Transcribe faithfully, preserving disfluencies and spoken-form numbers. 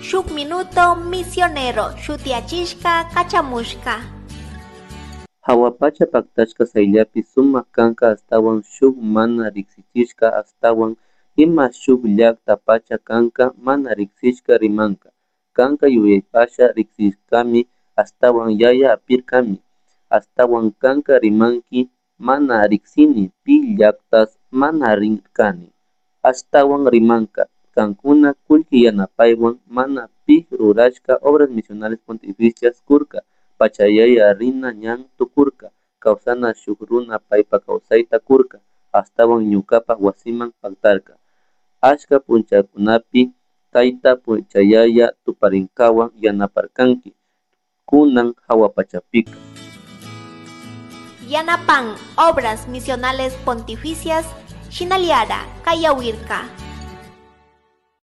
Shuk Minuto Misionero shutiyachishka kachamushka. Jahua pacha paktashka sayllapi sumak kanka ashtawan shuk mana riksichishka ashtawan ima shuk llakta pacha kanka mana riksishka rimanka kanka yuyaypasha riksishkami ashtawan yaya apirkami ashtawan kanka rimanki mana riksini pi llaktas mana rirkani ashtawan rimanka kankuna kullki yanapaywan mana pi rurashka Obras Misionales Pontificias kurka pachayaya rina ñan tukurka kawsana shuk runa paypa kawsayta kurka ashtawan ñukapa wasiman paktarka achka punchakunapi tayta pachayaya tuparinkawan yanaparkanki kunan hawa pachapika. Yanapan Obras Misionales Pontificias Shinaliara Kayawirka.